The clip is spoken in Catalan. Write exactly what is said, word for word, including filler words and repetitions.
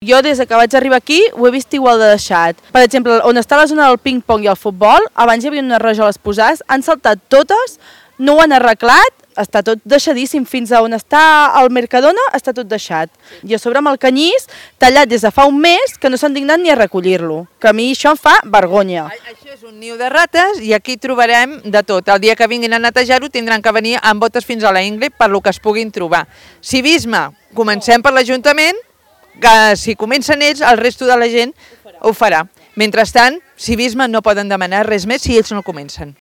Jo des que vaig arribar aquí ho he vist igual de deixat. Per exemple, on està la zona del ping-pong i el futbol, abans hi havia unes rajoles posades, han saltat totes, no ho han arreglat, està tot deixadíssim, fins a on està el Mercadona està tot deixat. I a sobre amb el canyís, tallat des de fa un mes, que no s'han dignat ni a recollir-lo, que a mi això em fa vergonya. Això és un niu de rates i aquí trobarem de tot. El dia que vinguin a netejar-ho tindran que venir amb botes fins a la ingle per lo que es puguin trobar. Civisme, comencem per l'Ajuntament, que si comencen ells, el resto de la gent ho farà. Mentrestant, civisme no poden demanar res més si ells no comencen.